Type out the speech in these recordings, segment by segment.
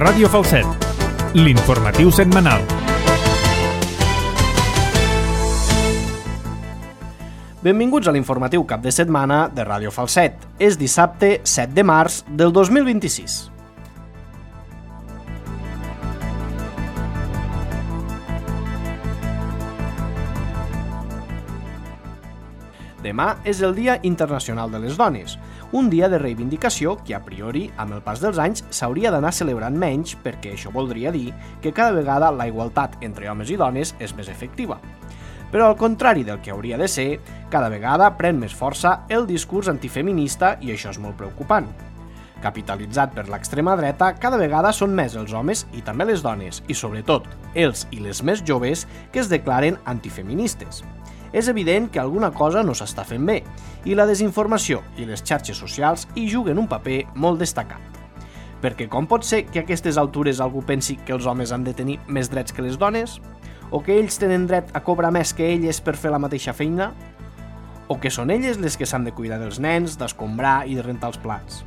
Ràdio Falset, l'informatiu setmanal. Benvinguts a l'informatiu cap de setmana de Ràdio Falset. És dissabte 7 de març del 2026. Demà és el Dia Internacional de les Dones, un dia de reivindicació que a priori, amb el pas dels anys, s'hauria d'anar celebrant menys perquè això voldria dir que cada vegada la igualtat entre homes i dones és més efectiva. Però al contrari del que hauria de ser, cada vegada pren més força el discurs antifeminista i això és molt preocupant. Capitalitzat per l'extrema dreta, cada vegada són més els homes i també les dones, i sobretot els i les més joves que es declaren antifeministes. És evident que alguna cosa no s'està fent bé, i la desinformació i les xarxes socials hi juguen un paper molt destacat. Perquè com pot ser que a aquestes altures algú pensi que els homes han de tenir més drets que les dones? O que ells tenen dret a cobrar més que elles per fer la mateixa feina? O que són elles les que s'han de cuidar dels nens, d'escombrar i de rentar els plats?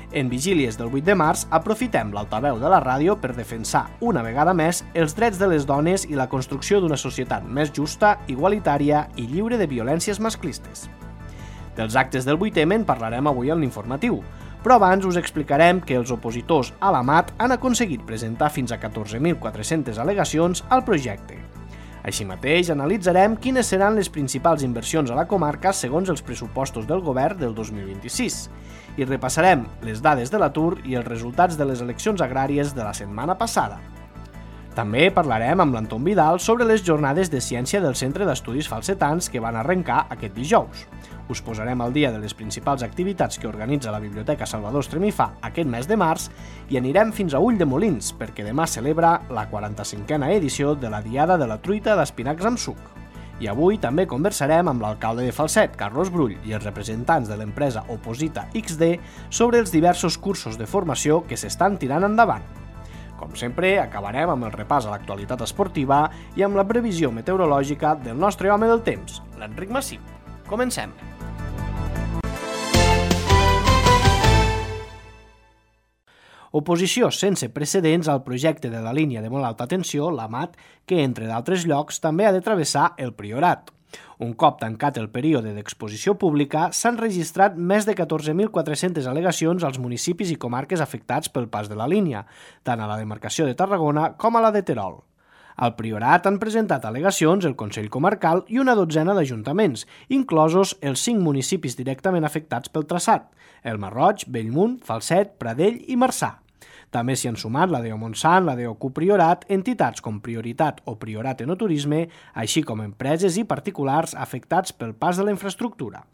En vigílies del 8 de març aprofitem l'altaveu de la ràdio per defensar una vegada més els drets de les dones i la construcció d'una societat més justa, igualitària i lliure de violències masclistes. Dels actes del 8M en parlarem avui en l'informatiu, però abans us explicarem que els opositors a la MAT han aconseguit presentar fins a 14.400 al·legacions al projecte. Així mateix, analitzarem quines seran les principals inversions a la comarca segons els pressupostos del govern del 2026 i repassarem les dades de l'atur i els resultats de les eleccions agràries de la setmana passada. També parlarem amb l'Anton Vidal sobre les jornades de ciència del Centre d'Estudis Falsetans que van arrencar aquest dijous. Us posarem al dia de les principals activitats que organitza la Biblioteca Salvador Estremifà aquest mes de març i anirem fins a Ulldemolins perquè demà celebra la 45a edició de la Diada de la Truita d'Espinacs amb suc. I avui també conversarem amb l'alcalde de Falset, Carlos Brull, i els representants de l'empresa Oposita XD sobre els diversos cursos de formació que s'estan tirant endavant. Com sempre, acabarem amb el repàs a l'actualitat esportiva i amb la previsió meteorològica del nostre home del temps, l'Enric Massip. Comencem! Oposició sense precedents al projecte de la línia de molt alta tensió, la MAT, que, entre d'altres llocs, també ha de travessar el Priorat. Un cop tancat el període d'exposició pública, s'han registrat més de 14.400 al·legacions als municipis i comarques afectats pel pas de la línia, tant a la demarcació de Tarragona com a la de Terol. Al Priorat han presentat al·legacions el Consell Comarcal i una dotzena d'ajuntaments, inclosos els 5 municipis directament afectats pel traçat, el Masroig, Bellmunt, Falset, Pradell i Marçà. També s'hi han sumat la DO Montsant, la DO Priorat, entitats com Prioritat o Priorat Enoturisme, així com empreses i particulars afectats pel pas de la infraestructura.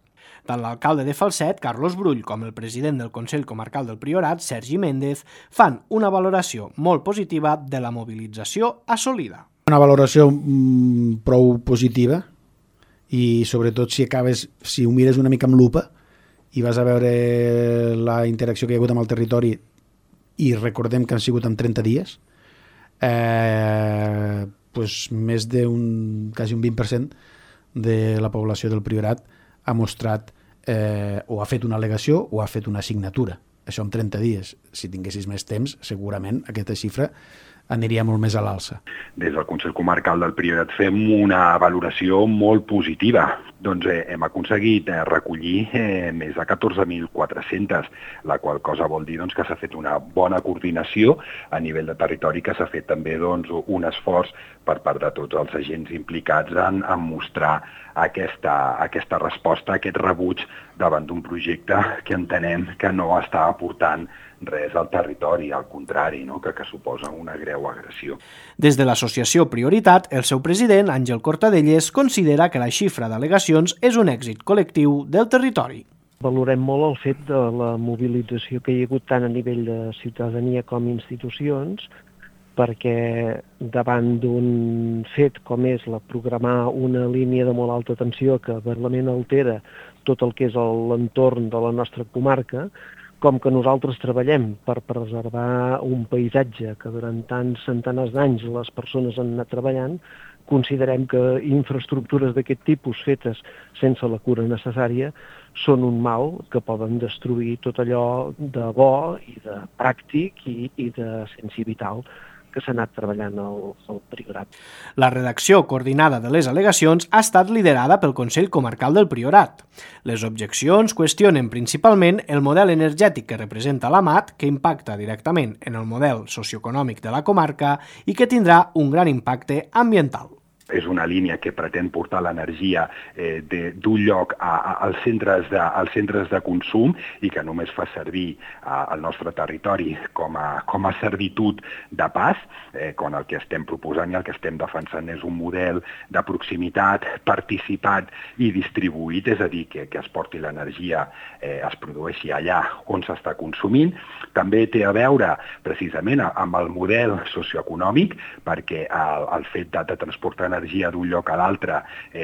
Tant l'alcalde de Falset, Carlos Brull, com el president del Consell Comarcal del Priorat, Sergi Méndez, fan una valoració molt positiva de la mobilització assolida. Una valoració prou positiva i sobretot si ho mires una mica amb lupa i vas a veure la interacció que hi ha hagut amb el territori i recordem que han sigut en 30 dies, més quasi un 20% de la població del Priorat ha mostrat o ha fet una al·legació o ha fet una assignatura. Això en 30 dies. Si tinguessis més temps, segurament aquesta xifra aniria molt més a l'alça. Des del Consell Comarcal del Priorat fem una valoració molt positiva. Doncs hem aconseguit recollir més de 14.400, la qual cosa vol dir que s'ha fet una bona coordinació a nivell de territori, que s'ha fet també un esforç per part de tots els agents implicats en mostrar aquesta resposta, aquest rebuig davant d'un projecte que entenem que no està aportant res al territori, al contrari, que suposa una greu agressió. Des de l'associació Prioritat, el seu president, Àngel Cortadelles, considera que la xifra d'al·legacions és un èxit col·lectiu del territori. Valorem molt el fet de la mobilització que hi ha hagut tant a nivell de ciutadania com institucions, perquè davant d'un fet com és programar una línia de molt alta tensió que realment altera tot el que és l'entorn de la nostra comarca, com que nosaltres treballem per preservar un paisatge que durant tants centenars d'anys les persones han anat treballant, considerem que infraestructures d'aquest tipus fetes sense la cura necessària són un mal que poden destruir tot allò de bo i de pràctic i de sensi vital que s'ha anat treballant al Priorat. La redacció coordinada de les al·legacions ha estat liderada pel Consell Comarcal del Priorat. Les objeccions qüestionen principalment el model energètic que representa l'AMAT, que impacta directament en el model socioeconòmic de la comarca i que tindrà un gran impacte ambiental. És una línia que pretén portar l'energia d'un lloc als centres de consum i que només fa servir el nostre territori com a servitud de pas, quan el que estem proposant i el que estem defensant és un model de proximitat, participat i distribuït, és a dir, que es porti l'energia, es produeixi allà on s'està consumint. També té a veure precisament amb el model socioeconòmic, perquè el fet de transportar energia d'un lloc a l'altre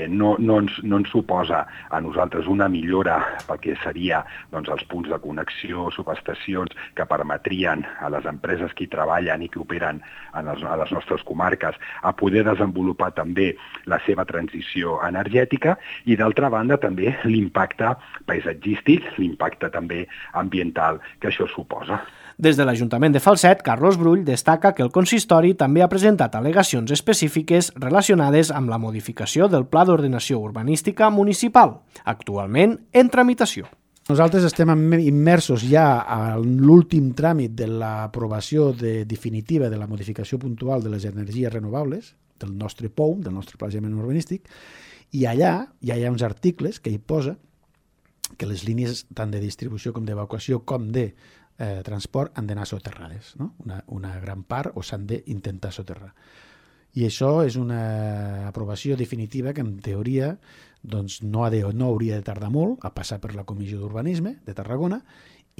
no ens suposa a nosaltres una millora pel que seria els punts de connexió, subestacions que permetrien a les empreses que hi treballen i que operen a les nostres comarques a poder desenvolupar també la seva transició energètica i d'altra banda també l'impacte paisatgístic, l'impacte també ambiental que això suposa. Des de l'Ajuntament de Falset, Carlos Brull destaca que el consistori també ha presentat al·legacions específiques relacionades amb la modificació del Pla d'Ordenació Urbanística Municipal, actualment en tramitació. Nosaltres estem immersos ja a l'últim tràmit de l'aprovació definitiva de la modificació puntual de les energies renovables, del nostre POUM, del nostre planejament urbanístic, i allà ja hi ha uns articles que hi posa que les línies tant de distribució com d'evacuació com de transport han d'anar soterrades, no? Una gran part o s'han d'intentar soterrar. I això és una aprovació definitiva que en teoria no hauria de tardar molt a passar per la Comissió d'Urbanisme de Tarragona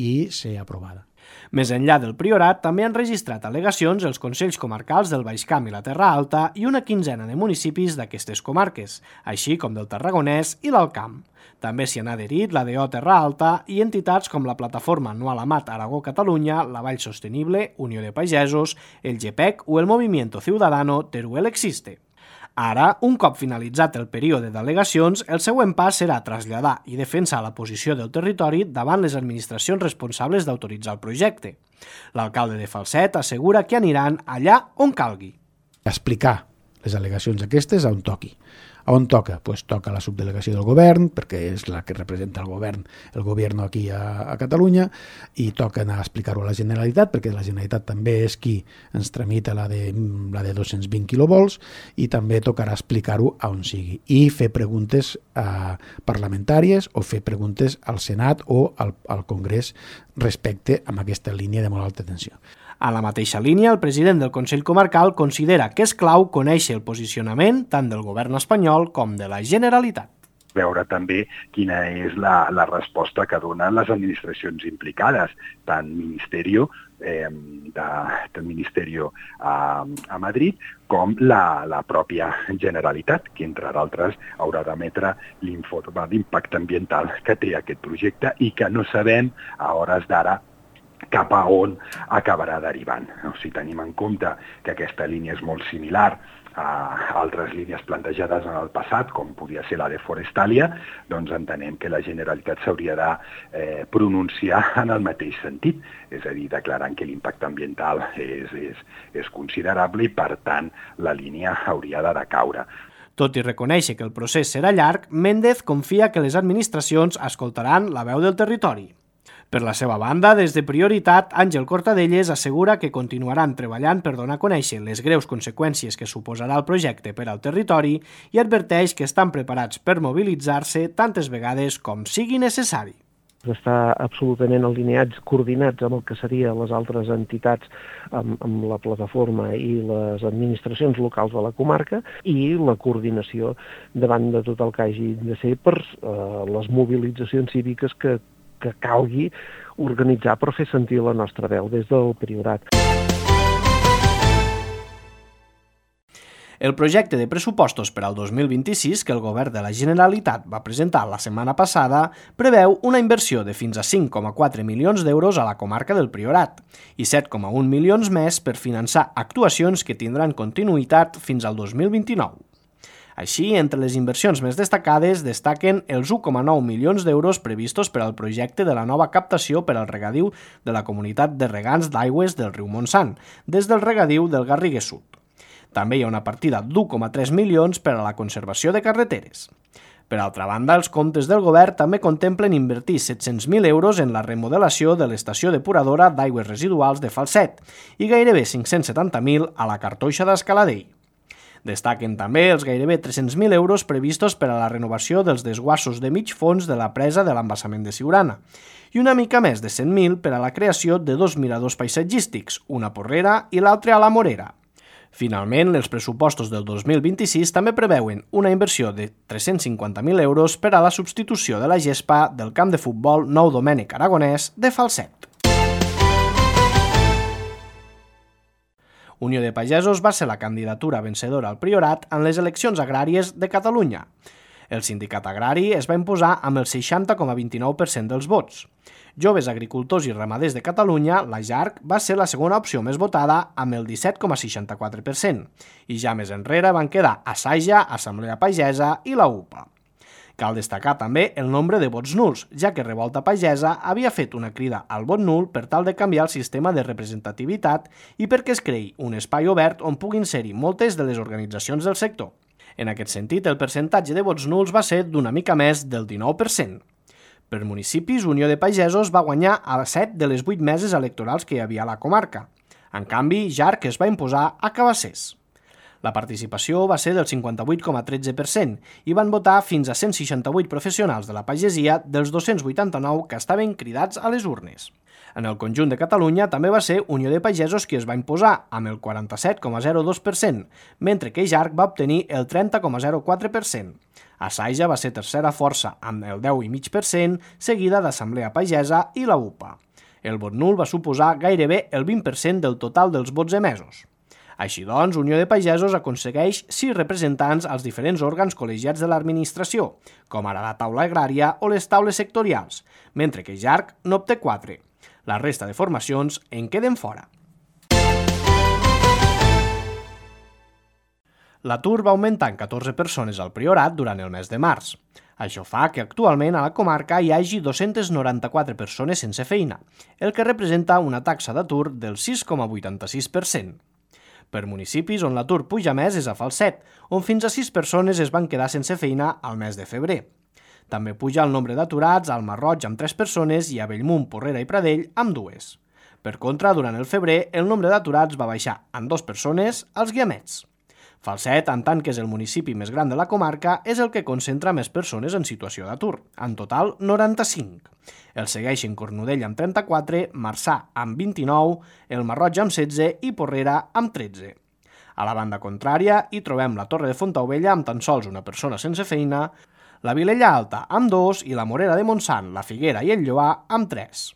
i ser aprovada. Més enllà del Priorat, també han registrat al·legacions els Consells Comarcals del Baix Camp i la Terra Alta i una quinzena de municipis d'aquestes comarques, així com del Tarragonès i l'Alt Camp. També s'hi han adherit la DO Terra Alta i entitats com la Plataforma Anual Amat Aragó-Catalunya, la Vall Sostenible, Unió de Pagesos, el GEPEC o el Movimiento Ciudadano Teruel Existe. Ara, un cop finalitzat el període d'al·legacions, el següent pas serà traslladar i defensar la posició del territori davant les administracions responsables d'autoritzar el projecte. L'alcalde de Falset assegura que aniran allà on calgui. Explicar les al·legacions aquestes a on toqui. A on toca? Pues toca la subdelegació del govern, perquè és la que representa el govern aquí a Catalunya, i toca anar a explicar-ho a la Generalitat, perquè la Generalitat també és qui ens tramita la de 220 quilovolts, i també tocarà explicar-ho a on sigui. I fer preguntes parlamentàries o fer preguntes al Senat o al Congrés respecte a aquesta línia de molt alta tensió. A la mateixa línia, el president del Consell Comarcal considera que és clau conèixer el posicionament tant del govern espanyol com de la Generalitat. Veure també quina és la resposta que donen les administracions implicades, tant Ministerio a Madrid com la pròpia Generalitat, que entre d'altres haurà d'emetre l'informe d'impacte ambiental que té aquest projecte i que no sabem a hores d'ara cap a on acabarà derivant. Si tenim en compte que aquesta línia és molt similar a altres línies plantejades en el passat, com podia ser la de Forestalia, doncs entenem que la Generalitat s'hauria de pronunciar en el mateix sentit, és a dir, declarant que l'impacte ambiental és considerable i, per tant, la línia hauria de decaure. Tot i reconèixer que el procés serà llarg, Méndez confia que les administracions escoltaran la veu del territori. Per la seva banda, des de Prioritat, Àngel Cortadelles assegura que continuaran treballant per donar a conèixer les greus conseqüències que suposarà el projecte per al territori i adverteix que estan preparats per mobilitzar-se tantes vegades com sigui necessari. Està absolutament alineats, coordinats amb el que serien les altres entitats, amb la plataforma i les administracions locals de la comarca i la coordinació davant de tot el que hagi de ser per les mobilitzacions cíviques que calgui organitzar per fer sentir la nostra veu des del Priorat. El projecte de pressupostos per al 2026 que el govern de la Generalitat va presentar la setmana passada preveu una inversió de fins a 5,4 milions d'euros a la comarca del Priorat i 7,1 milions més per finançar actuacions que tindran continuïtat fins al 2029. Així, entre les inversions més destacades destaquen els 1,9 milions d'euros previstos per al projecte de la nova captació per al regadiu de la comunitat de regants d'aigües del riu Montsant, des del regadiu del Garrigues Sud. També hi ha una partida d'1,3 milions per a la conservació de carreteres. Per altra banda, els comptes del govern també contemplen invertir 700.000 euros en la remodelació de l'estació depuradora d'aigües residuals de Falset i gairebé 570.000 a la cartoixa d'Escaladell. Destaquen també els gairebé 300.000 euros previstos per a la renovació dels desguassos de mig fons de la presa de l'embassament de Siurana i una mica més de 100.000 per a la creació de 2 miradors paisatgístics, una a Porrera i l'altre a la Morera. Finalment, els pressupostos del 2026 també preveuen una inversió de 350.000 euros per a la substitució de la gespa del camp de futbol Nou Domènec Aragonès de Falset. Unió de Pagesos va ser la candidatura vencedora al Priorat en les eleccions agràries de Catalunya. El sindicat agrari es va imposar amb el 60,29% dels vots. Joves Agricultors i Ramaders de Catalunya, la JARC, va ser la segona opció més votada amb el 17,64% i ja més enrere van quedar Asaja, Assemblea Pagesa i la UPA. Cal destacar també el nombre de vots nuls, ja que Revolta Pagesa havia fet una crida al vot nul per tal de canviar el sistema de representativitat i perquè es creï un espai obert on puguin ser-hi moltes de les organitzacions del sector. En aquest sentit, el percentatge de vots nuls va ser d'una mica més del 19%. Per municipis, Unió de Pagesos va guanyar a 7 de les 8 meses electorals que hi havia a la comarca. En canvi, JARC es va imposar a Cabassers. La participació va ser del 58,13% i van votar fins a 168 professionals de la pagesia dels 289 que estaven cridats a les urnes. En el conjunt de Catalunya també va ser Unió de Pagesos qui es va imposar amb el 47,02%, mentre que JARC va obtenir el 30,04%. Asaja va ser tercera força amb el 10,5%, seguida d'Assemblea Pagesa i la UPA. El vot nul va suposar gairebé el 20% del total dels vots emesos. Així doncs, Unió de Pagesos aconsegueix 6 representants als diferents òrgans col·legiats de l'administració, com ara la taula agrària o les taules sectorials, mentre que JARC n'obté 4. La resta de formacions en queden fora. L'atur va augmentar en 14 persones al Priorat durant el mes de març. Això fa que actualment a la comarca hi hagi 294 persones sense feina, el que representa una taxa d'atur del 6,86%. Per municipis on l'atur puja més és a Falset, on fins a 6 persones es van quedar sense feina al mes de febrer. També puja el nombre d'aturats al Marroig amb 3 persones i a Bellmunt, Porrera i Pradell amb 2. Per contra, durant el febrer, el nombre d'aturats va baixar en 2 persones als Guiamets. Falset, en tant que és el municipi més gran de la comarca, és el que concentra més persones en situació d'atur, en total 95. El segueixen Cornudella amb 34, Marçà amb 29, el Marroig amb 16 i Porrera amb 13. A la banda contrària hi trobem la Torre de Fontaubella amb tan sols una persona sense feina, la Vilella Alta amb 2 i la Morera de Montsant, la Figuera i el Lloar amb 3.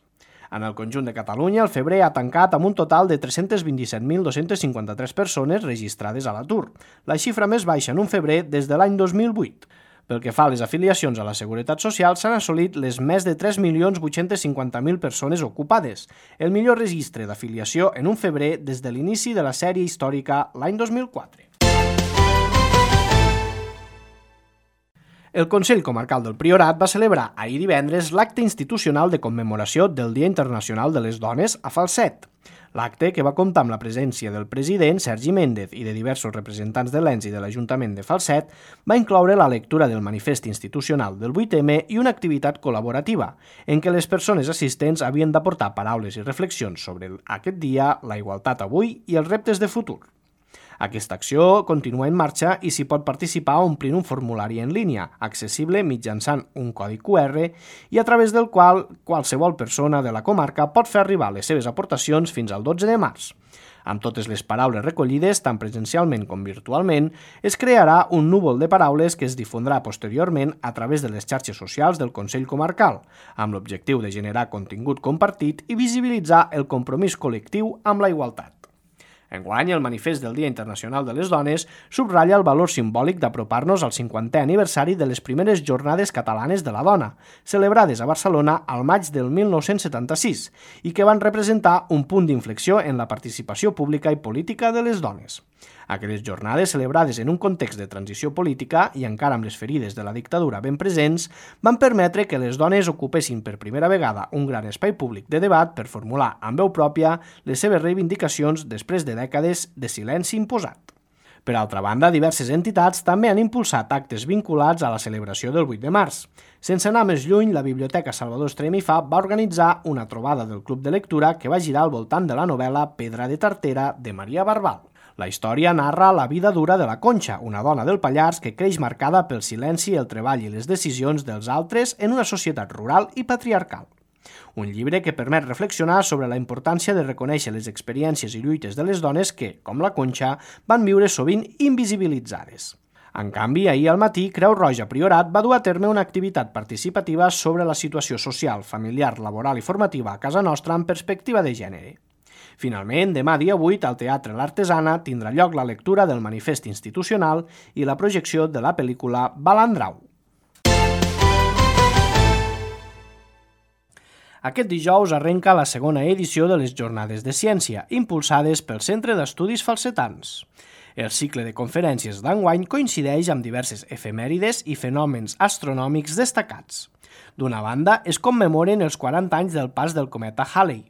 En el conjunt de Catalunya, el febrer ha tancat amb un total de 327.253 persones registrades a l'atur, la xifra més baixa en un febrer des de l'any 2008. Pel que fa a les afiliacions a la Seguretat Social, s'han assolit les més de 3.850.000 persones ocupades, el millor registre d'afiliació en un febrer des de l'inici de la sèrie històrica l'any 2004. El Consell Comarcal del Priorat va celebrar ahir divendres l'acte institucional de commemoració del Dia Internacional de les Dones a Falset. L'acte, que va comptar amb la presència del president Sergi Méndez i de diversos representants de l'ENS i de l'Ajuntament de Falset, va incloure la lectura del manifest institucional del 8M i una activitat col·laborativa, en què les persones assistents havien d'aportar paraules i reflexions sobre aquest dia, la igualtat avui i els reptes de futur. Aquesta acció continua en marxa i s'hi pot participar omplint un formulari en línia, accessible mitjançant un codi QR i a través del qual qualsevol persona de la comarca pot fer arribar les seves aportacions fins al 12 de març. Amb totes les paraules recollides, tant presencialment com virtualment, es crearà un núvol de paraules que es difondrà posteriorment a través de les xarxes socials del Consell Comarcal, amb l'objectiu de generar contingut compartit i visibilitzar el compromís col·lectiu amb la igualtat. Enguany, el manifest del Dia Internacional de les Dones subratlla el valor simbòlic d'apropar-nos al 50è aniversari de les primeres Jornades Catalanes de la Dona, celebrades a Barcelona al maig del 1976 i que van representar un punt d'inflexió en la participació pública i política de les dones. Aquelles jornades, celebrades en un context de transició política i encara amb les ferides de la dictadura ben presents, van permetre que les dones ocupessin per primera vegada un gran espai públic de debat per formular amb veu pròpia les seves reivindicacions després de dècades de silenci imposat. Per altra banda, diverses entitats també han impulsat actes vinculats a la celebració del 8 de març. Sense anar més lluny, la Biblioteca Salvador Estrem i Fa va organitzar una trobada del Club de Lectura que va girar al voltant de la novel·la Pedra de Tartera de Maria Barbal. La història narra la vida dura de la Conxa, una dona del Pallars que creix marcada pel silenci, el treball i les decisions dels altres en una societat rural i patriarcal. Un llibre que permet reflexionar sobre la importància de reconèixer les experiències i lluites de les dones que, com la Conxa, van viure sovint invisibilitzades. En canvi, ahir al matí, Creu Roja Priorat va dur a terme una activitat participativa sobre la situació social, familiar, laboral i formativa a casa nostra en perspectiva de gènere. Finalment, demà dia 8, al Teatre L'Artesana tindrà lloc la lectura del manifest institucional i la projecció de la pel·lícula Balandrau. Aquest dijous arrenca la segona edició de les Jornades de Ciència, impulsades pel Centre d'Estudis Falsetans. El cicle de conferències d'enguany coincideix amb diverses efemèrides i fenòmens astronòmics destacats. D'una banda, es commemoren els 40 anys del pas del cometa Halley,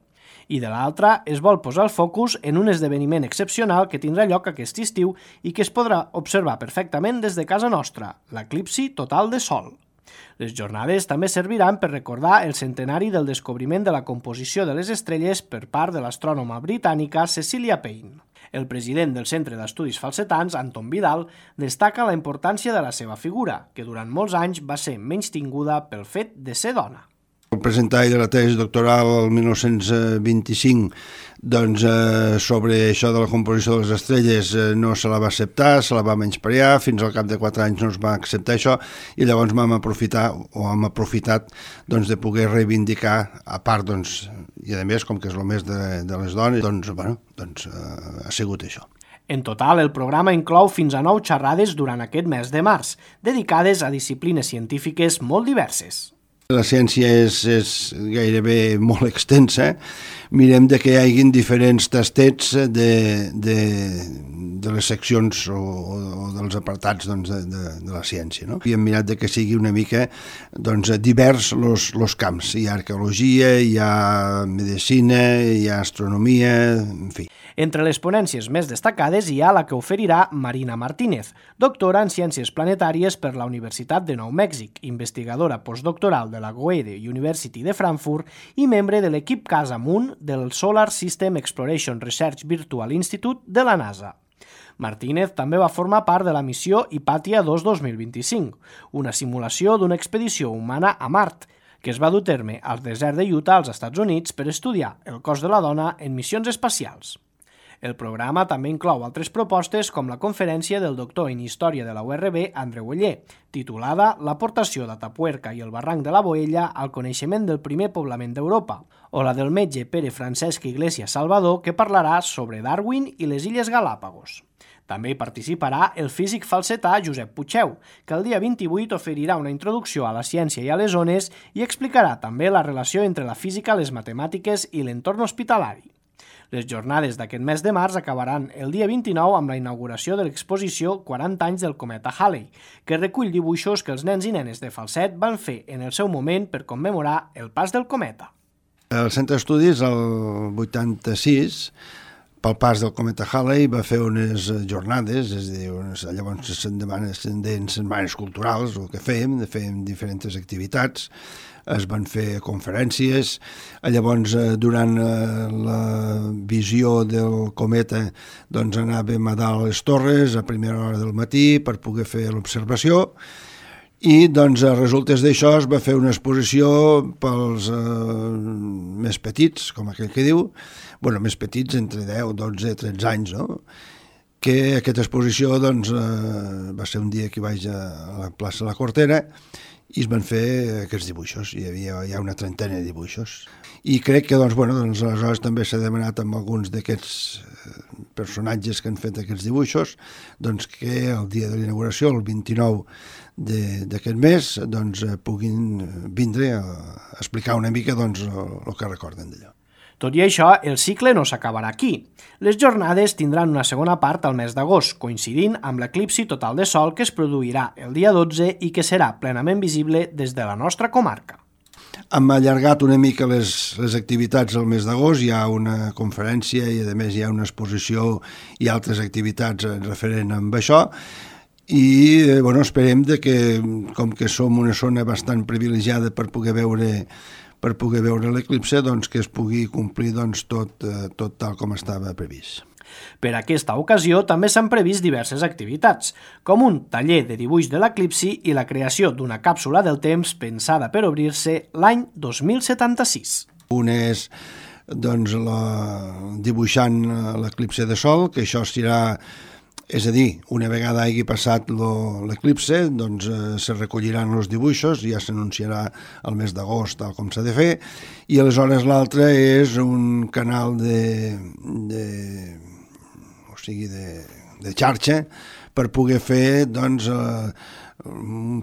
i de l'altra es vol posar el focus en un esdeveniment excepcional que tindrà lloc aquest estiu i que es podrà observar perfectament des de casa nostra, l'eclipsi total de Sol. Les jornades també serviran per recordar el centenari del descobriment de la composició de les estrelles per part de l'astrònoma britànica Cecilia Payne. El president del Centre d'Estudis Falsetans, Anton Vidal, destaca la importància de la seva figura, que durant molts anys va ser menystinguda pel fet de ser dona. Al presentar de la tesi doctoral el 1925 sobre això de la composició de les estrelles no se la va acceptar, se la va menysprear, fins al cap de 4 anys no es va acceptar això i llavors hem aprofitat de poder reivindicar, a part, i a més, com que és el mes de les dones, ha sigut això. En total, el programa inclou fins a 9 xerrades durant aquest mes de març, dedicades a disciplines científiques molt diverses. La ciència és gairebé molt extensa. Mirem que hi hagi diferents tastets de les seccions o dels apartats de la ciència. No? I hem mirat que sigui una mica divers els camps. Hi ha arqueologia, hi ha medicina, hi ha astronomia, en fi. Entre les ponències més destacades hi ha la que oferirà Marina Martínez, doctora en Ciències Planetàries per la Universitat de Nou Mèxic, investigadora postdoctoral de la Goethe University de Frankfurt i membre de l'equip Casamunt del Solar System Exploration Research Virtual Institute de la NASA. Martínez també va formar part de la missió Hypatia 2 2025, una simulació d'una expedició humana a Mart, que es va dur a terme al desert de Utah, als Estats Units, per estudiar el cos de la dona en missions espacials. El programa també inclou altres propostes com la conferència del doctor en Història de la URB, Andreu Oller, titulada L'aportació d'Atapuerca i el barranc de la Boella al coneixement del primer poblament d'Europa, o la del metge Pere Francesc Iglesias Salvador, que parlarà sobre Darwin i les Illes Galàpagos. També hi participarà el físic falsetà Josep Puigdeu, que el dia 28 oferirà una introducció a la ciència i a les ones i explicarà també la relació entre la física, les matemàtiques i l'entorn hospitalari. Les jornades d'aquest mes de març acabaran el dia 29 amb la inauguració de l'exposició 40 anys del cometa Halley, que recull dibuixos que els nens i nenes de Falset van fer en el seu moment per commemorar el pas del cometa. El Centre d'Estudis, el 86, pel pas del cometa Halley, va fer unes jornades, és a dir, llavors se'n deien setmanes culturals, el que fèiem diferents activitats, es van fer conferències, llavors durant la visió del cometa anàvem a dalt a les torres a primera hora del matí per poder fer l'observació i a resultes d'això es va fer una exposició pels més petits, com aquell que diu, més petits entre 10, 12, 13 anys, no? Que aquesta exposició va ser un dia que vaig a la plaça La Cortera i es van fer aquests dibuixos, hi havia ja una trentena de dibuixos. I crec que aleshores també s'ha demanat amb alguns d'aquests personatges que han fet aquests dibuixos que el dia de l'inauguració, el 29 d'aquest mes, puguin vindre a explicar una mica el que recorden d'allò. Tot i això, el cicle no s'acabarà aquí. Les jornades tindran una segona part al mes d'agost, coincidint amb l'eclipsi total de sol que es produirà el dia 12 i que serà plenament visible des de la nostra comarca. Hem allargat una mica les activitats al mes d'agost, hi ha una conferència i a més hi ha una exposició i altres activitats referent amb això, i esperem que, com que som una zona bastant privilegiada per poder veure l'eclipse, doncs que es pugui complir tot tal com estava previst. Per aquesta ocasió també s'han previst diverses activitats, com un taller de dibuix de l'eclipsi i la creació d'una càpsula del temps pensada per obrir-se l'any 2076. Un és dibuixant l'eclipse de sol, que això serà, és a dir, una vegada hagi passat l'eclipse, doncs se recolliran els dibuixos, ja s'anunciarà el mes d'agost tal com s'ha de fer, i aleshores l'altre és un canal de xarxa per poder fer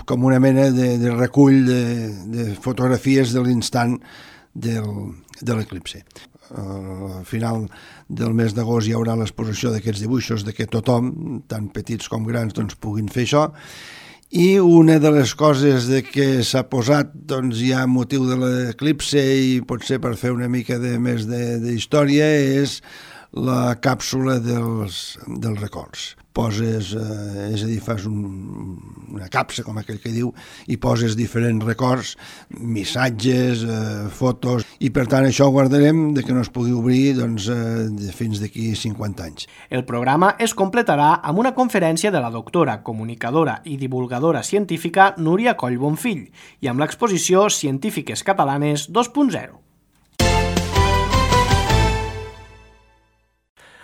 com una mena de recull de fotografies de l'instant de l'eclipse. Al final del mes d'agost hi haurà l'exposició d'aquests dibuixos que tothom, tant petits com grans, puguin fer això. I una de les coses que s'ha posat ja a motiu de l'eclipse i potser per fer una mica més d'història és la càpsula dels records. Poses, és a dir, fas una capsa, com aquell que diu, i poses diferents records, missatges, fotos, i per tant això ho guardarem que no es pugui obrir fins d'aquí 50 anys. El programa es completarà amb una conferència de la doctora, comunicadora i divulgadora científica Núria Coll Bonfill i amb l'exposició Científiques Catalanes 2.0.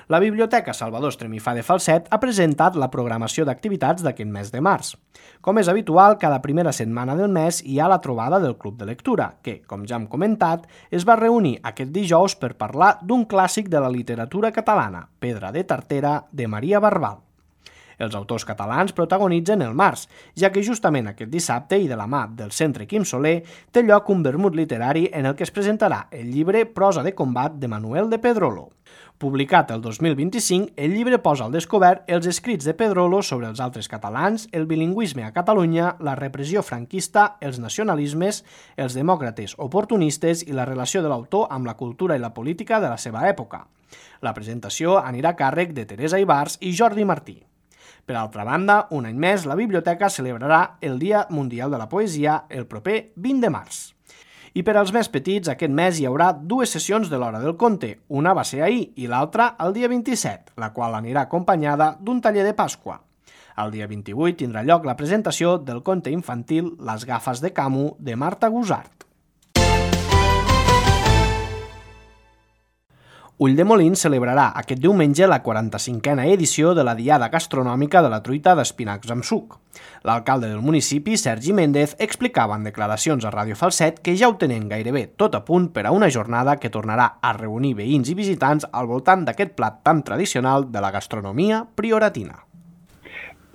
La Biblioteca Salvador Estremifà de Falset ha presentat la programació d'activitats d'aquest mes de març. Com és habitual, cada primera setmana del mes hi ha la trobada del Club de Lectura, que, com ja hem comentat, es va reunir aquest dijous per parlar d'un clàssic de la literatura catalana, Pedra de Tartera, de Maria Barbal. Els autors catalans protagonitzen el març, ja que justament aquest dissabte i de la mà del Centre Quim Soler té lloc un vermut literari en el que es presentarà el llibre Prosa de combat de Manuel de Pedrolo. Publicat el 2025, el llibre posa al descobert els escrits de Pedrolo sobre els altres catalans, el bilingüisme a Catalunya, la repressió franquista, els nacionalismes, els demòcrates oportunistes i la relació de l'autor amb la cultura i la política de la seva època. La presentació anirà a càrrec de Teresa Ibars i Jordi Martí. Per altra banda, un any més, la biblioteca celebrarà el Dia Mundial de la Poesia el proper 20 de març. I per als més petits, aquest mes hi haurà dues sessions de l'Hora del Conte. Una va ser ahir i l'altra el dia 27, la qual anirà acompanyada d'un taller de Pasqua. El dia 28 tindrà lloc la presentació del conte infantil Les gafes de Camus de Marta Gusart. Ulldemolins celebrarà aquest diumenge la 45a edició de la Diada Gastronòmica de la Truita d'Espinacs amb suc. L'alcalde del municipi, Sergi Méndez, explicava en declaracions a Ràdio Falset que ja ho tenen gairebé tot a punt per a una jornada que tornarà a reunir veïns i visitants al voltant d'aquest plat tan tradicional de la gastronomia prioratina.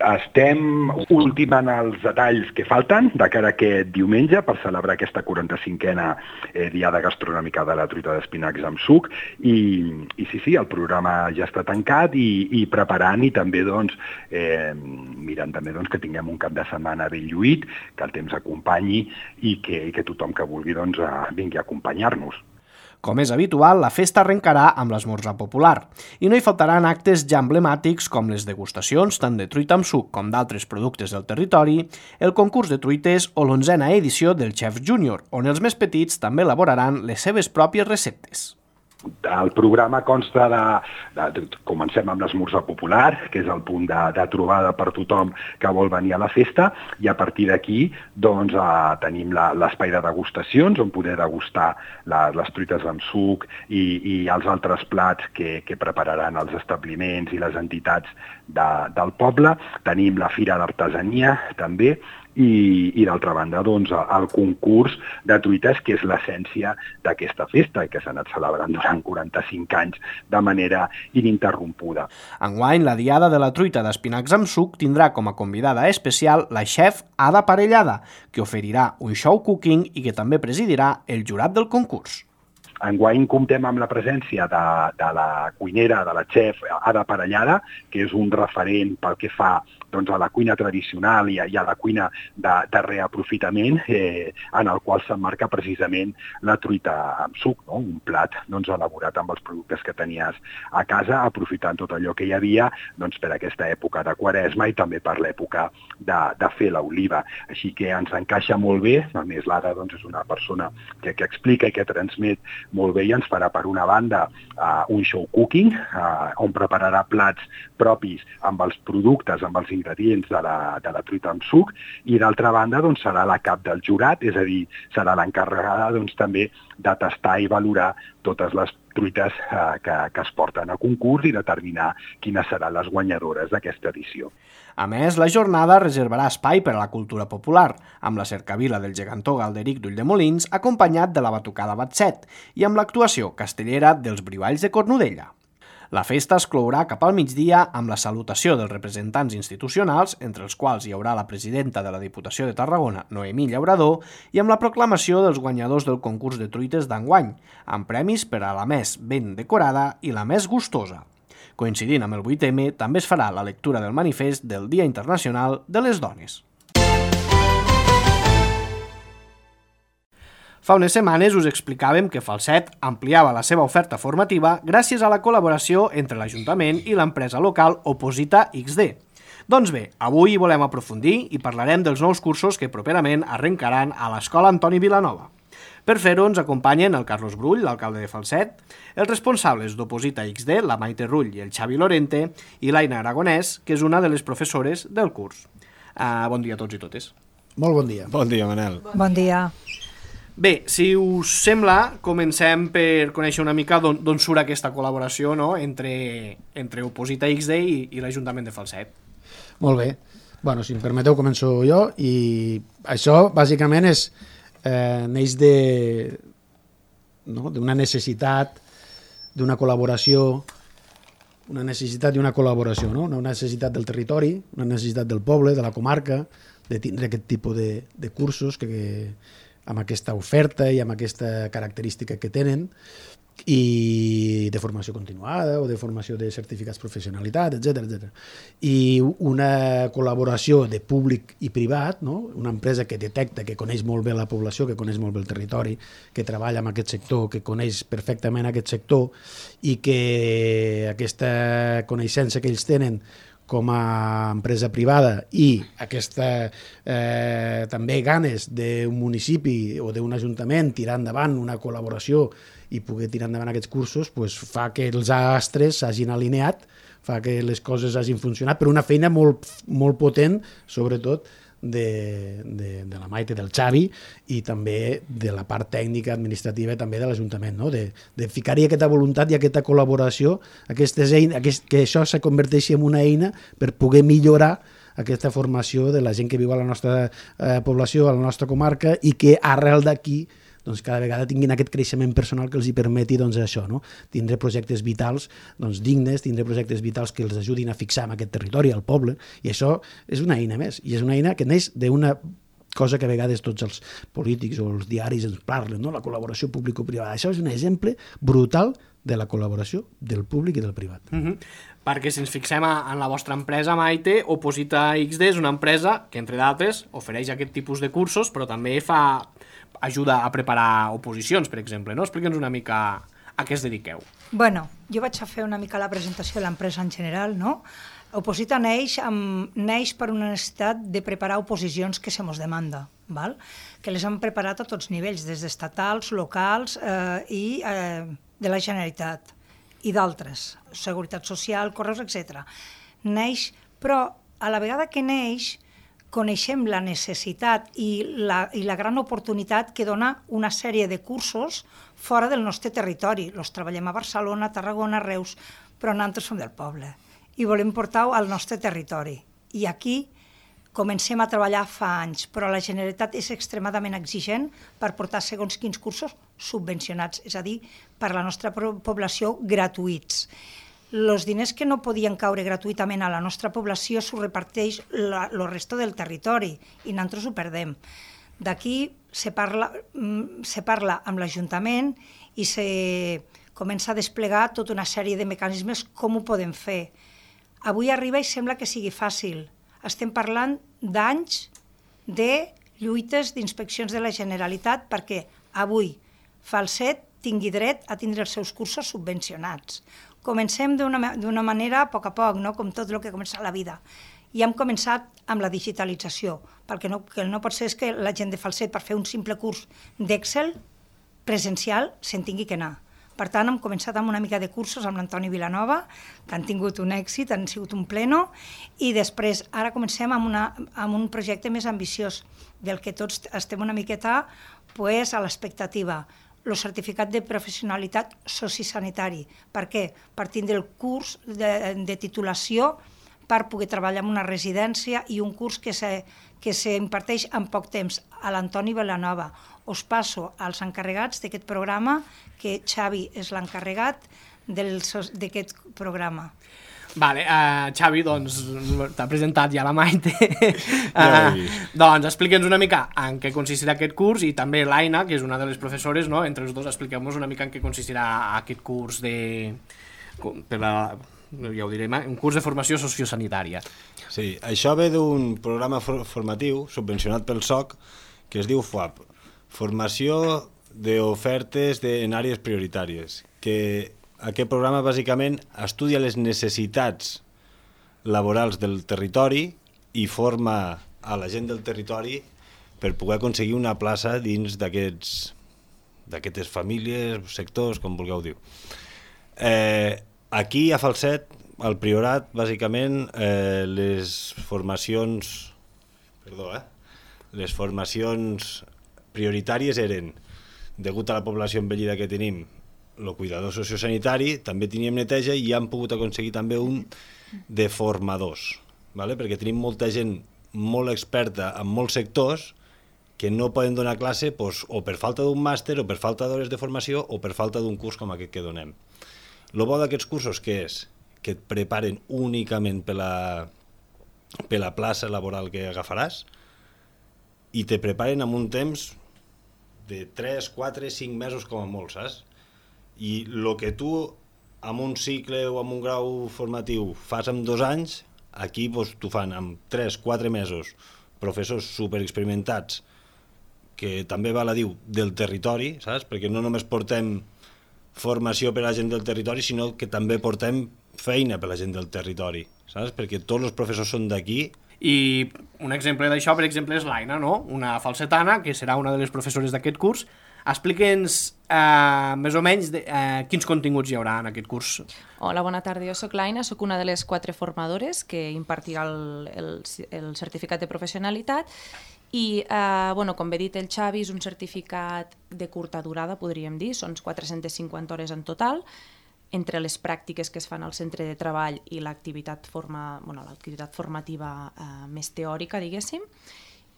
Estem ultimant els detalls que falten de cara a aquest diumenge per celebrar aquesta 45a Diada Gastronòmica de la Truita d'Espinacs amb suc i sí, el programa ja està tancat i preparant i també mirant també que tinguem un cap de setmana ben lluït, que el temps acompanyi i que tothom que vulgui vingui a acompanyar-nos. Com és habitual, la festa arrencarà amb l'esmorzar popular i no hi faltaran actes ja emblemàtics com les degustacions tant de truita amb suc com d'altres productes del territori, el concurs de truites o l'11a edició del Chef Júnior, on els més petits també elaboraran les seves pròpies receptes. El programa consta comencem amb l'esmorzar popular, que és el punt de trobada per tothom que vol venir a la festa, i a partir d'aquí tenim l'espai de degustacions, on poder degustar les truites amb suc i els altres plats que prepararan els establiments i les entitats del poble. Tenim la Fira d'Artesania, també, i d'altra banda el concurs de truites, que és l'essència d'aquesta festa i que s'ha anat celebrant durant 45 anys de manera ininterrompuda. Enguany, la Diada de la Truita d'Espinacs amb suc tindrà com a convidada especial la xef Ada Parellada, que oferirà un show cooking i que també presidirà el jurat del concurs. Enguany comptem amb la presència de la cuinera, de la xef Ada Parellada, que és un referent pel que fa a la cuina tradicional i a la cuina de reaprofitament, en el qual s'emmarca precisament la truita amb suc, no? Un plat elaborat amb els productes que tenies a casa, aprofitant tot allò que hi havia per aquesta època de Quaresma i també per l'època de fer l'oliva. Així que ens encaixa molt bé, a més l'Ada és una persona que explica i que transmet molt bé i ens farà per una banda un show cooking, on prepararà plats propis amb els productes, amb els ingredients de la truita amb suc, i d'altra banda serà la cap del jurat, és a dir, serà l'encarregada també de tastar i valorar totes les truites que es porten a concurs i determinar quines seran les guanyadores d'aquesta edició. A més, la jornada reservarà espai per a la cultura popular, amb la cercavila del gegantó Galderic d'Ulldemolins, acompanyat de la batucada Batset, i amb l'actuació castellera dels Brivalls de Cornudella. La festa es clourà cap al migdia amb la salutació dels representants institucionals, entre els quals hi haurà la presidenta de la Diputació de Tarragona, Noemí Llaurador, i amb la proclamació dels guanyadors del concurs de truites d'enguany, amb premis per a la més ben decorada i la més gustosa. Coincidint amb el 8M, també es farà la lectura del manifest del Dia Internacional de les Dones. Fa unes setmanes us explicàvem que Falset ampliava la seva oferta formativa gràcies a la col·laboració entre l'Ajuntament i l'empresa local Oposita XD. Doncs bé, avui volem aprofundir i parlarem dels nous cursos que properament arrencaran a l'Escola Antoni Vilanova. Per fer-ho ens acompanyen el Carlos Brull, l'alcalde de Falset, els responsables d'Oposita XD, la Maite Rull i el Xavi Lorente, i l'Aina Aragonès, que és una de les professores del curs. Bon dia a tots i totes. Molt bon dia. Bon dia, Manel. Bon dia. Bé, si us sembla, comencem per conèixer una mica d'on surt aquesta col·laboració, no?, entre Oposita XD i l'Ajuntament de Falset. Molt bé. Bueno, si em permeteu, començo jo, i això, bàsicament, neix d'una necessitat d'una col·laboració, no? Una necessitat del territori, una necessitat del poble, de la comarca, de tindre aquest tipus de cursos amb aquesta oferta i amb aquesta característica que tenen, i de formació continuada o de formació de certificats de professionalitat, etc. I una col·laboració de públic i privat, no? Una empresa que detecta, que coneix molt bé la població, que coneix molt bé el territori, que treballa en aquest sector, que coneix perfectament aquest sector, i que aquesta coneixença que ells tenen com a empresa privada i aquesta també ganes d'un municipi o d'un ajuntament tirar endavant una col·laboració i poder tirar endavant aquests cursos, fa que els astres s'hagin alineat, fa que les coses hagin funcionat, però una feina molt, molt potent, sobretot de la Maite, del Xavi, i també de la part tècnica, administrativa, també de l'Ajuntament, no? De ficar-hi aquesta voluntat i aquesta col·laboració, que això se converteixi en una eina per poder millorar aquesta formació de la gent que viu a la nostra població, a la nostra comarca, i que arrel d'aquí cada vegada tinguin aquest creixement personal que els hi permeti això, no? Tindre projectes vitals dignes, tindre projectes vitals que els ajudin a fixar en aquest territori, al poble, i això és una eina més, i és una eina que neix d'una cosa que a vegades tots els polítics o els diaris ens parlen, no? La col·laboració público-privada. Això és un exemple brutal de la col·laboració del públic i del privat. Perquè si ens fixem en la vostra empresa, Maite, Oposita XD és una empresa que, entre d'altres, ofereix aquest tipus de cursos, però també ajuda a preparar oposicions, per exemple, no? Explica'ns una mica a què es dediqueu. Bueno, jo vaig a fer una mica la presentació de l'empresa en general, no? Oposita neix per una necessitat de preparar oposicions que se mos demanda, val? Que les hem preparat a tots nivells, des d'estatals, locals i de la Generalitat i d'altres, Seguretat Social, Correus, etc. Neix, però a la vegada que neix, coneixem la necessitat i la gran oportunitat que dona una sèrie de cursos fora del nostre territori. Els treballem a Barcelona, Tarragona, Reus, però nosaltres som del poble i volem portar-ho al nostre territori. I aquí comencem a treballar fa anys, però la Generalitat és extremadament exigent per portar segons quins cursos subvencionats, és a dir, per la nostra població gratuïts. Els diners que no podien caure gratuïtament a la nostra població s'ho reparteix el resto del territori i nosaltres ho perdem. D'aquí se parla amb l'Ajuntament i se comença a desplegar tota una sèrie de mecanismes com ho podem fer. Avui arriba i sembla que sigui fàcil. Estem parlant d'anys de lluites d'inspeccions de la Generalitat perquè avui Falset tingui dret a tindre els seus cursos subvencionats. Comencem d'una manera a poc, no? Com tot el que comença a la vida. I hem començat amb la digitalització, perquè el no pot ser és que la gent de Falset, per fer un simple curs d'Excel presencial, se'n tingui que anar. Per tant, hem començat amb una mica de cursos amb l'Antoni Vilanova, que han tingut un èxit, han sigut un pleno, i després ara comencem amb un projecte més ambiciós, del que tots estem una miqueta a l'expectativa. El certificat de professionalitat sociosanitari. Per què? Per tindre el curs de titulació per poder treballar en una residència i un curs que s'imparteix en poc temps a l'Antoni Vilanova. Us passo als encarregats d'aquest programa, que Xavi és l'encarregat d'aquest programa. Vale, Xavi, doncs t'ha presentat ja la Maite. Doncs explica'ns una mica en què consistirà aquest curs i també l'Aina, que és una de les professores, no? Entre els dos expliquem-nos una mica en què consistirà aquest curs ja ho direm, un curs de formació sociosanitària. Sí, això ve d'un programa formatiu subvencionat pel SOC que es diu FOAP, Formació d'Ofertes en Àrees Prioritàries, que aquest programa bàsicament estudia les necessitats laborals del territori i forma a la gent del territori per poder aconseguir una plaça dins d'aquestes famílies, sectors, com vulgueu dir. Aquí a Falset, al Priorat, bàsicament, les formacions prioritàries eren, degut a la població envellida que tenim, el cuidador sociosanitari, també teníem neteja i hem pogut aconseguir també un de formadors, perquè tenim molta gent molt experta en molts sectors que no poden donar classe o per falta d'un màster o per falta d'hores de formació o per falta d'un curs com aquest que donem. El bo d'aquests cursos què és? Que et preparen únicament per la plaça laboral que agafaràs i te preparen amb un temps de 3, 4, 5 mesos com a molt, saps? I el que tu amb un cicle o amb un grau formatiu fas en 2 anys, aquí t'ho fan en 3, 4 mesos, professors superexperimentats, que també val a dir del territori, saps? Perquè no només portem formació per a la gent del territori, sinó que també portem feina per a la gent del territori, saps? Perquè tots els professors són d'aquí. I un exemple d'això, per exemple, és l'Aina, no? Una falsetana, que serà una de les professores d'aquest curs. Explica'ns més o menys quins continguts hi haurà en aquest curs. Hola, bona tarda. Jo soc l'Aina, soc una de les 4 formadores que impartirà el certificat de professionalitat i, com bé dit el Xavi, és un certificat de curta durada, podríem dir, són 450 hores en total, entre les pràctiques que es fan al centre de treball i l'activitat formativa més teòrica, diguéssim,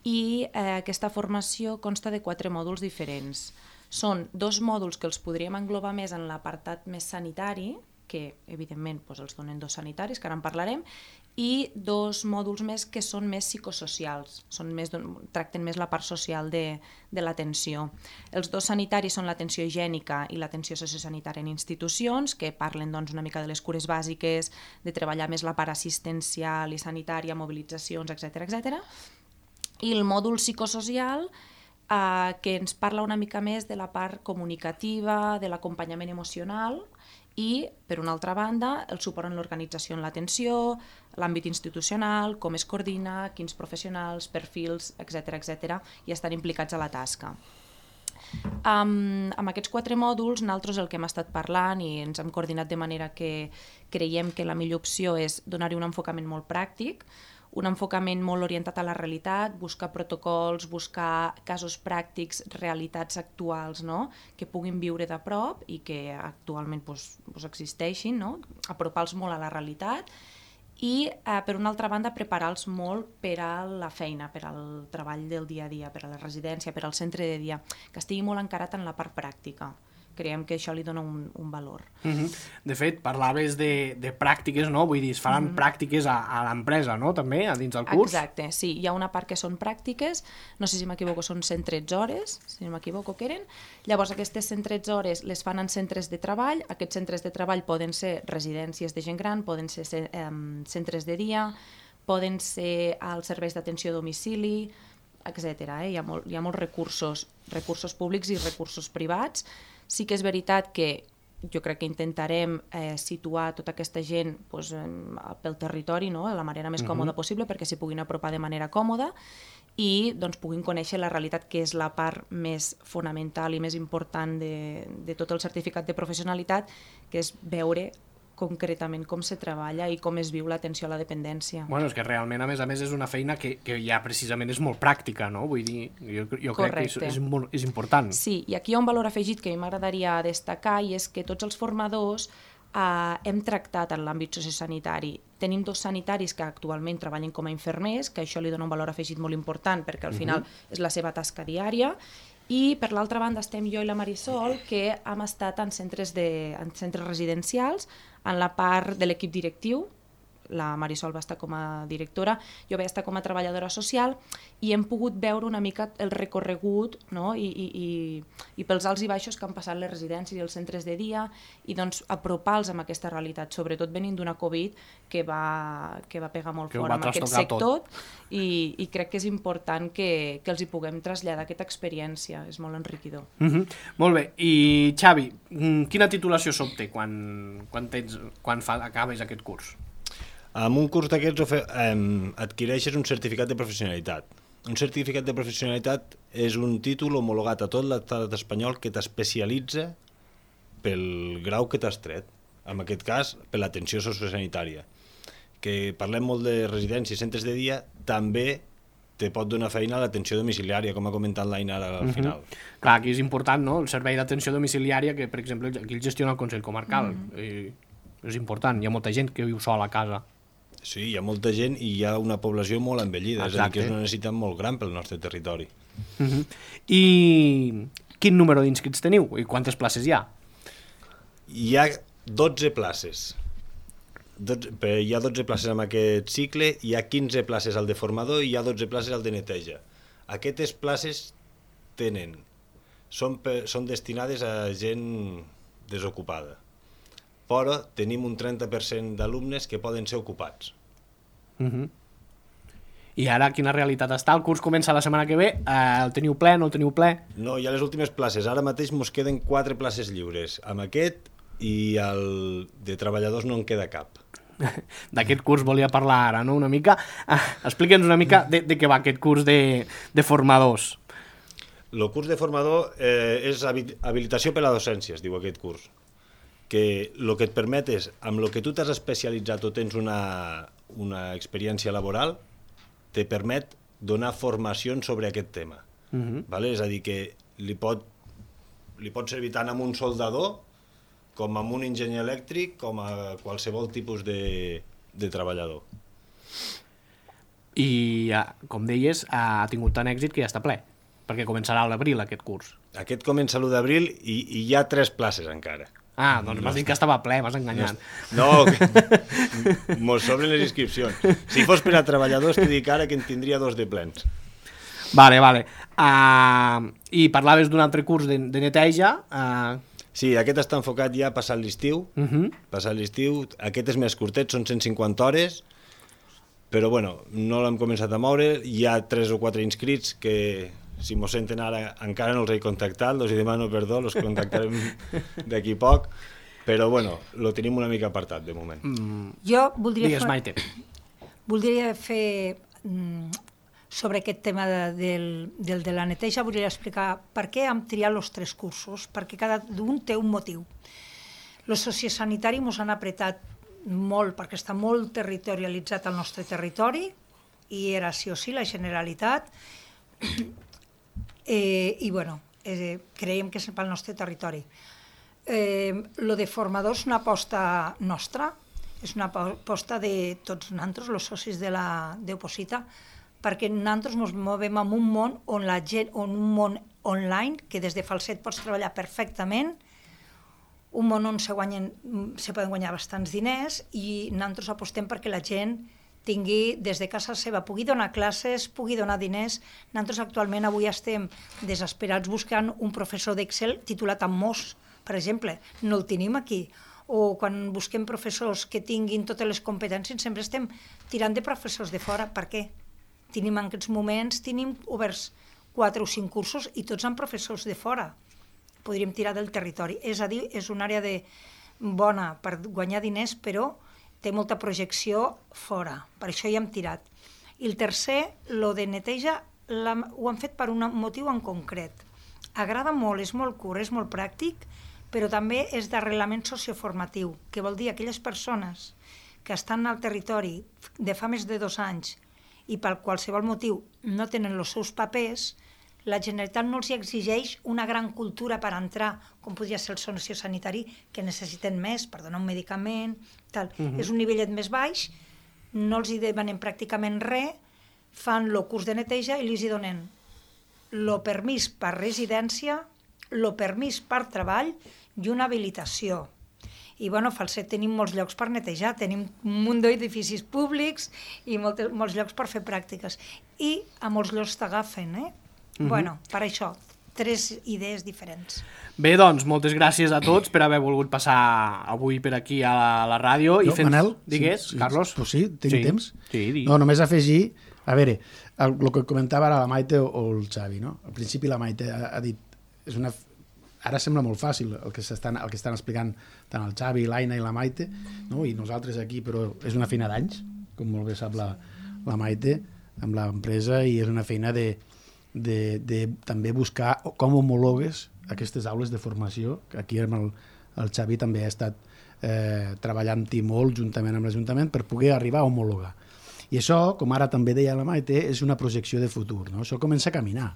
i aquesta formació consta de 4 mòduls diferents. Són 2 mòduls que els podríem englobar més en l'apartat més sanitari, que evidentment els donen 2 sanitaris, que ara en parlarem, i 2 mòduls més que són més psicosocials, tracten més la part social de l'atenció. Els 2 sanitaris són l'atenció higiènica i l'atenció sociosanitària en institucions, que parlen una mica de les cures bàsiques, de treballar més la part assistencial i sanitària, mobilitzacions, etc. I el mòdul psicosocial, que ens parla una mica més de la part comunicativa, de l'acompanyament emocional i, per una altra banda, el suport en l'organització en l'atenció, l'àmbit institucional, com es coordina, quins professionals, perfils, etc. i estan implicats a la tasca. Amb aquests 4 mòduls, nosaltres el que hem estat parlant i ens hem coordinat de manera que creiem que la millor opció és donar-hi un enfocament molt pràctic, un enfocament molt orientat a la realitat, buscar protocols, buscar casos pràctics, realitats actuals, que puguin viure de prop i que actualment existeixin, apropar-los molt a la realitat i, per una altra banda, preparar-los molt per a la feina, per al treball del dia a dia, per a la residència, per al centre de dia, que estigui molt encarat en la part pràctica, creiem que això li dona un valor. De fet, parlaves de pràctiques, no? Vull dir, es faran pràctiques a l'empresa, no? També, a dins del curs? Exacte, sí. Hi ha una part que són pràctiques, no sé si m'equivoco, són 113 hores, si no m'equivoco que eren. Llavors, aquestes 113 hores les fan en centres de treball. Aquests centres de treball poden ser residències de gent gran, poden ser centres de dia, poden ser als serveis d'atenció a domicili, etc. Hi ha molts recursos públics i recursos privats. Sí que és veritat que jo crec que intentarem situar tota aquesta gent pel territori, no? De la manera més còmoda possible perquè s'hi puguin apropar de manera còmoda i puguin conèixer la realitat, que és la part més fonamental i més important de tot el certificat de professionalitat, que és veure concretament com se treballa i com es viu l'atenció a la dependència. Bueno, és que realment, a més, és una feina que ja precisament és molt pràctica, no? Vull dir, jo crec que és important. Sí, i aquí hi ha un valor afegit que a mi m'agradaria destacar i és que tots els formadors hem tractat en l'àmbit sociosanitari. Tenim 2 sanitaris que actualment treballen com a infermers, que això li dona un valor afegit molt important perquè al final és la seva tasca diària, i per l'altra banda estem jo i la Marisol, que hem estat en centres residencials, en la part de l'equip directiu. La Marisol va estar com a directora, jo vaig estar com a treballadora social i hem pogut veure una mica el recorregut, no? I pels alts i baixos que han passat les residències i els centres de dia i doncs apropar-los amb aquesta realitat, sobretot venint d'una Covid que va pegar molt fort amb aquest sector i crec que és important que els hi puguem traslladar aquesta experiència, és molt enriquidor. Molt bé, i Xavi, quina titulació s'obté quan acabes aquest curs? Amb un curs d'aquests adquireixes un certificat de professionalitat. Un certificat de professionalitat és un títol homologat a tot l'estat espanyol que t'especialitza pel grau que t'has tret. En aquest cas, per l'atenció sociosanitària. Que parlem molt de residències i centres de dia, també te pot donar feina a l'atenció domiciliària, com ha comentat l'Aina al final. Clar, aquí és important, no?, el servei d'atenció domiciliària, que per exemple aquí el gestiona el Consell Comarcal. És important, hi ha molta gent que viu sola a casa. Sí, hi ha molta gent i hi ha una població molt envellida, és a dir, que és una necessitat molt gran pel nostre territori. I quin número d'inscrits teniu i quantes places hi ha? Hi ha 12 places. Hi ha 12 places en aquest cicle, hi ha 15 places al de formador i hi ha 12 places al de neteja. Aquestes places són destinades a gent desocupada, però tenim un 30% d'alumnes que poden ser ocupats. I ara quina realitat està? El curs comença la setmana que ve, el teniu ple, no el teniu ple? No, hi ha les últimes places, ara mateix ens queden 4 places lliures, amb aquest i el de treballadors no en queda cap. D'aquest curs volia parlar ara, no? Una mica, explica'ns una mica de què va aquest curs de formadors. El curs de formador és habilitació per a la docència, es diu aquest curs, que el que et permet és, amb el que tu t'has especialitzat o tens una experiència laboral, te permet donar formacions sobre aquest tema. És a dir, que li pot servir tant amb un soldador com amb un enginyer elèctric com a qualsevol tipus de treballador. I, com deies, ha tingut tant èxit que ja està ple, perquè començarà a l'abril aquest curs. Aquest comença l'1 d'abril i hi ha 3 places encara. Doncs m'has dit que estava ple, m'has enganyat. No, mos sobren les inscripcions. Si fos per a treballadors, t'he dit ara que en tindria 2 de plens. Vale. I parlaves d'un altre curs de neteja. Sí, aquest està enfocat ja passat l'estiu. Aquest és més curtet, són 150 hores, però bueno, no l'hem començat a moure. Hi ha 3 o 4 inscrits que, si mos senten ara, encara no els he contactat, els demano perdó, els contactarem d'aquí poc, però bueno, lo tenim una mica apartat de moment. Jo voldria Digues, Maite. Voldria fer sobre aquest tema de la neteja, voldria explicar per què hem triat els 3 cursos, perquè cada un té un motiu. El sociosanitari ens han apretat molt, perquè està molt territorialitzat al nostre territori, i era sí o sí la Generalitat, i bueno, creiem que és pel nostre territori. Lo de formadors és una aposta nostra, és una aposta de tots nosaltres, els socis d'Oposita, perquè nosaltres ens movem en un món on un món online, que des de Falset pots treballar perfectament un món on se poden guanyar bastants diners i nosaltres apostem perquè la gent tingui des de casa seva, pugui donar classes, pugui donar diners. Nosaltres actualment avui estem desesperats buscant un professor d'Excel titulat en MOS, per exemple. No el tenim aquí. O quan busquem professors que tinguin totes les competències, sempre estem tirant de professors de fora. Per què? En aquests moments tenim oberts 4 o 5 cursos i tots amb professors de fora. Podríem tirar del territori. És a dir, és una àrea bona per guanyar diners, però té molta projecció fora. Per això hi hem tirat. I el tercer, lo de neteja, ho han fet per un motiu en concret. Agrada molt, és molt curt, és molt pràctic, però també és d'arrelament socioformatiu, que vol dir aquelles persones que estan al territori de fa més de 2 anys i per qualsevol motiu no tenen els seus papers, la Generalitat no els exigeix una gran cultura per entrar, com podria ser el sociosanitari, que necessiten més per donar un medicament, tal. És un nivellet més baix, no els hi demanen pràcticament res, fan el curs de neteja i els hi donen el permís per residència, el permís per treball i una habilitació. I bueno, a Falset tenim molts llocs per netejar, tenim un munt d'edificis públics i molts llocs per fer pràctiques. I a molts llocs t'agafen, Bueno, per això, 3 idees diferents. Bé, doncs, moltes gràcies a tots per haver volgut passar avui per aquí a la ràdio. Manel? Digues, Carlos? Pues sí, tinc temps. Sí, digui. No, només afegir, a veure, el que comentava ara la Maite o el Xavi, no? Al principi la Maite ha dit, ara sembla molt fàcil el que estan explicant tant el Xavi, l'Aina i la Maite, no? I nosaltres aquí, però és una feina d'anys, com molt bé sap la Maite, amb l'empresa, i és una feina de també buscar com homologues aquestes aules de formació, que aquí amb el Xavi també ha estat treballant-hi molt juntament amb l'Ajuntament per poder arribar a homologar. I això, com ara també deia la Maite, és una projecció de futur, no? Això comença a caminar.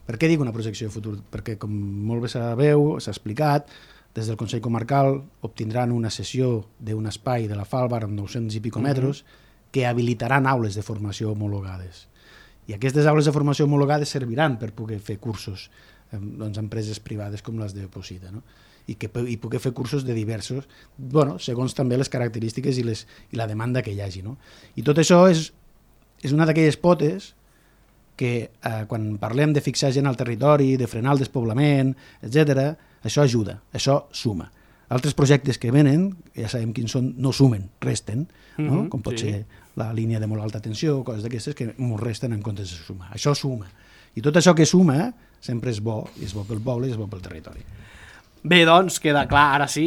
Per què dic una projecció de futur? Perquè, com molt bé sabeu, s'ha explicat, des del Consell Comarcal obtindran una cessió d'un espai de la Falbar amb 900 i pico metres que habilitaran aules de formació homologades. I aquestes aules de formació homologades serviran per poder fer cursos a empreses privades com les de Oposita, no? I poder fer cursos de diversos, segons també les característiques i la demanda que hi hagi, no? I tot això és una d'aquelles potes que quan parlem de fixar gent al territori, de frenar el despoblament, etc., això ajuda, això suma. Altres projectes que venen, ja sabem quins són, no sumen, resten, no? Com pot ser la línia de molt alta tensió, coses d'aquestes que molt resten en comptes de sumar. Això suma. I tot això que suma sempre és bo, i és bo pel poble i és bo pel territori. Bé, doncs, queda clar, ara sí.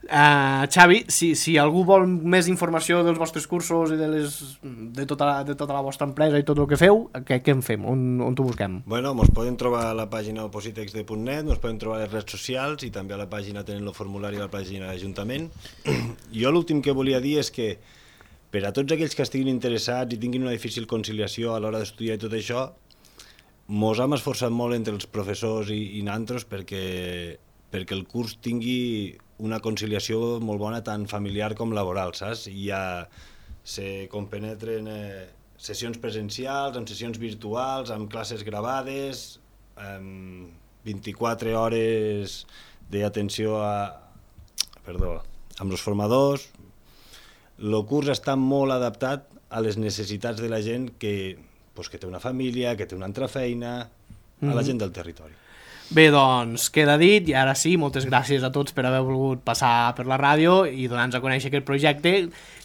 Xavi, si algú vol més informació dels vostres cursos i de tota la vostra empresa i tot el que feu, què en fem? On t'ho busquem? Bueno, ens poden trobar a la pàgina opositex.net, ens poden trobar a les redes socials i també a la pàgina tenen el formulari a la pàgina de l'Ajuntament. Jo l'últim que volia dir és que per a tots aquells que estiguin interessats i tinguin una difícil conciliació a l'hora d'estudiar i tot això, mos hem esforçat molt entre els professors i nosaltres perquè el curs tingui una conciliació molt bona tant familiar com laboral, saps? Se compenetren sessions presencials, amb sessions virtuals, amb classes gravades, amb 24 hores d'atenció amb els formadors. El curs està molt adaptat a les necessitats de la gent que té una família, que té una altra feina, a la gent del territori. Bé, doncs, queda dit, i ara sí, moltes gràcies a tots per haver volgut passar per la ràdio i donar-nos a conèixer aquest projecte,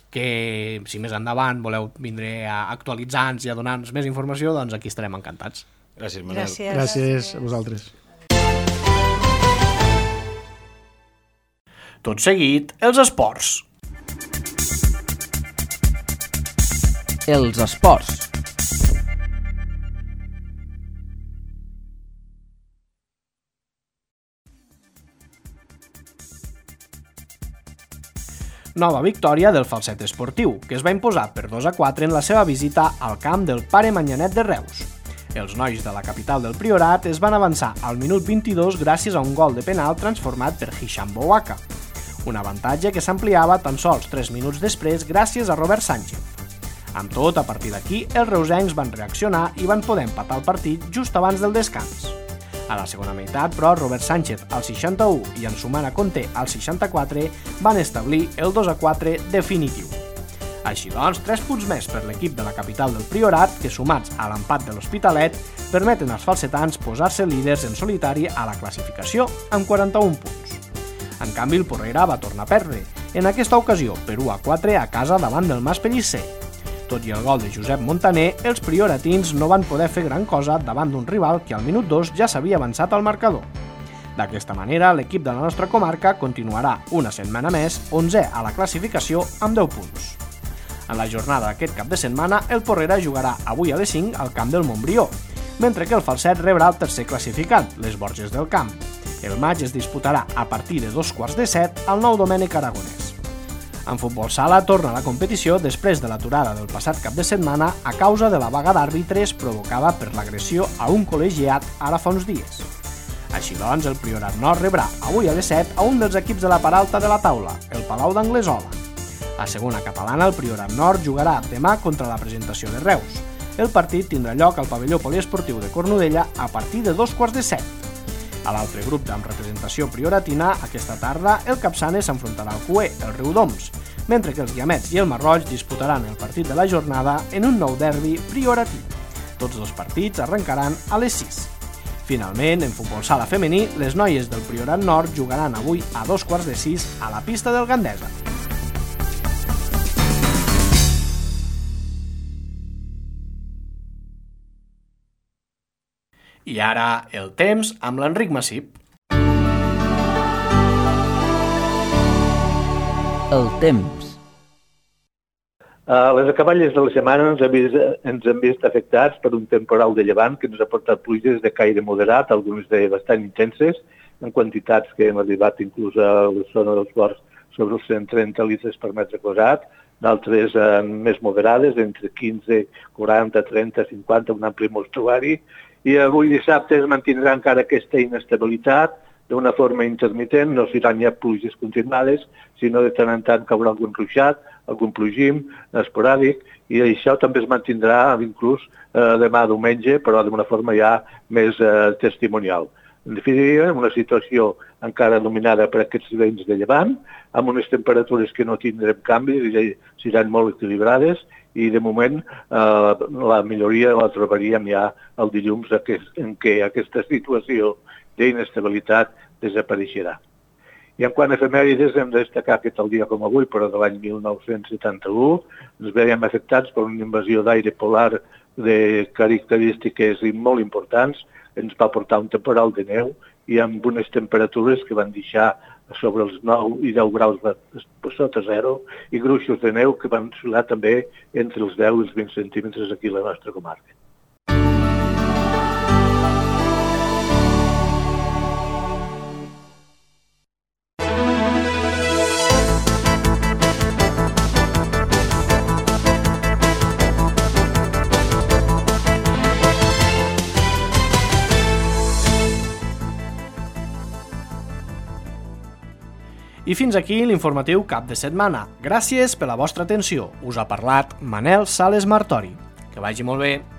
que si més endavant voleu vindre a actualitzar-nos i a donar-nos més informació, doncs aquí estarem encantats. Gràcies, Manel. Gràcies a vosaltres. Tot seguit, els esports. Els esports. Nova victòria del Falset Esportiu, que es va imposar per 2-4 en la seva visita al camp del Pare Manyanet de Reus. Els nois de la capital del Priorat es van avançar al minut 22 gràcies a un gol de penal transformat per Hisham Bouaka, un avantatge que s'ampliava tan sols 3 minuts després gràcies a Robert Sánchez. Amb tot, a partir d'aquí, els reusencs van reaccionar i van poder empatar el partit just abans del descans. A la segona meitat, però, Robert Sánchez al 61 i en Sumana Conté al 64 van establir el 2-4 definitiu. Així doncs, 3 punts més per l'equip de la capital del Priorat, que sumats a l'empat de l'Hospitalet, permeten als falsetans posar-se líders en solitari a la classificació amb 41 punts. En canvi, el Porrera va tornar a perdre, en aquesta ocasió per 1-4 a casa davant del Mas Pellicer. Tot i el gol de Josep Montaner, els prioratins no van poder fer gran cosa davant d'un rival que al minut 2 ja s'havia avançat al marcador. D'aquesta manera, l'equip de la nostra comarca continuarà una setmana més 11è a la classificació amb 10 punts. En la jornada d'aquest cap de setmana, el Porrera jugarà avui a les 5 al camp del Montbrió, mentre que el Falset rebrà el tercer classificat, les Borges del Camp. El maig es disputarà a partir de 2:15 al Nou Domènec Aragonès. En futbol sala torna a la competició després de l'aturada del passat cap de setmana a causa de la vaga d'àrbitres provocada per l'agressió a un col·legiat ara fa uns dies. Així doncs, el Priorat Nord rebrà avui a les 7 a un dels equips de la part alta de la taula, el Palau d'Anglesola. A segona catalana, el Priorat Nord jugarà demà contra la Presentació de Reus. El partit tindrà lloc al pavelló poliesportiu de Cornudella a partir de 2:15. A l'altre grup amb representació prioratina, aquesta tarda, el Capçanes s'enfrontarà al Cué, el Riudoms, mentre que els Guiamets i el Marroig disputaran el partit de la jornada en un nou derbi prioratí. Tots dos partits arrencaran a les 6. Finalment, en futbol sala femení, les noies del Priorat Nord jugaran avui a 2:15 a la pista del Gandesa. I ara, el temps amb l'Enric Massip. El temps. Les acaballes de la setmana ens hem vist afectats per un temporal de llevant que ens ha portat pluges de caire moderat, algunes de bastant intenses, en quantitats que hem arribat inclús a la zona dels ports sobre els 130 litres per metre quadrat, d'altres més moderades, entre 15, 40, 30, 50, un ampli mostruari, i avui dissabte es mantindrà encara aquesta inestabilitat d'una forma intermitent, no seran ja pluges continuades, sinó de tant en tant caurà algun ruixat, algun plogim esporàdic, i això també es mantindrà inclús demà diumenge, però d'una forma ja més testimonial. En definitiva, una situació encara dominada per aquests vents de llevant, amb unes temperatures que no tindrem canvis i seran molt equilibrades, i de moment la milloria la trobaríem ja el dilluns en què aquesta situació d'inestabilitat desapareixerà. I en quant a efemèrides, hem de destacar que tal dia com avui, però de l'any 1971, ens veiem afectats per una invasió d'aire polar de característiques molt importants. Ens va portar un temporal de neu i amb unes temperatures que van deixar sobre els 9 i 10 graus sota zero i gruixos de neu que van oscil·lar també entre els 10 i els 20 centímetres aquí a la nostra comarca. I fins aquí l'informatiu cap de setmana. Gràcies per la vostra atenció. Us ha parlat Manel Sales Martori. Que vagi molt bé.